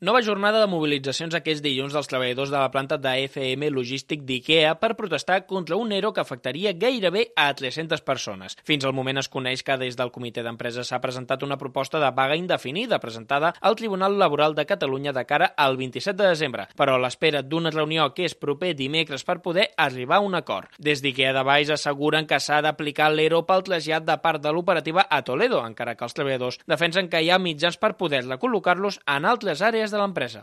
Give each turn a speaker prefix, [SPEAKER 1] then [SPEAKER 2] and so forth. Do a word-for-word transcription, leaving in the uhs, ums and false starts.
[SPEAKER 1] Nova jornada de mobilitzacions aquest dilluns dels treballadors de la planta de F M Logístic d'IKEA per protestar contra un ERO que afectaria gairebé a tres-centes persones. Fins al moment es coneix que des del comitè d'empresa s'ha presentat una proposta de vaga indefinida presentada al Tribunal Laboral de Catalunya de cara al vint-i-set de desembre, però a l'espera d'una reunió que és proper dimecres per poder arribar a un acord. Des d'IKEA de Valls asseguren que s'ha d'aplicar l'ERO pel trasllat de part de l'operativa a Toledo, encara que els treballadors defensen que hi ha mitjans per poder recol·locar-los en altres àrees de l'empresa.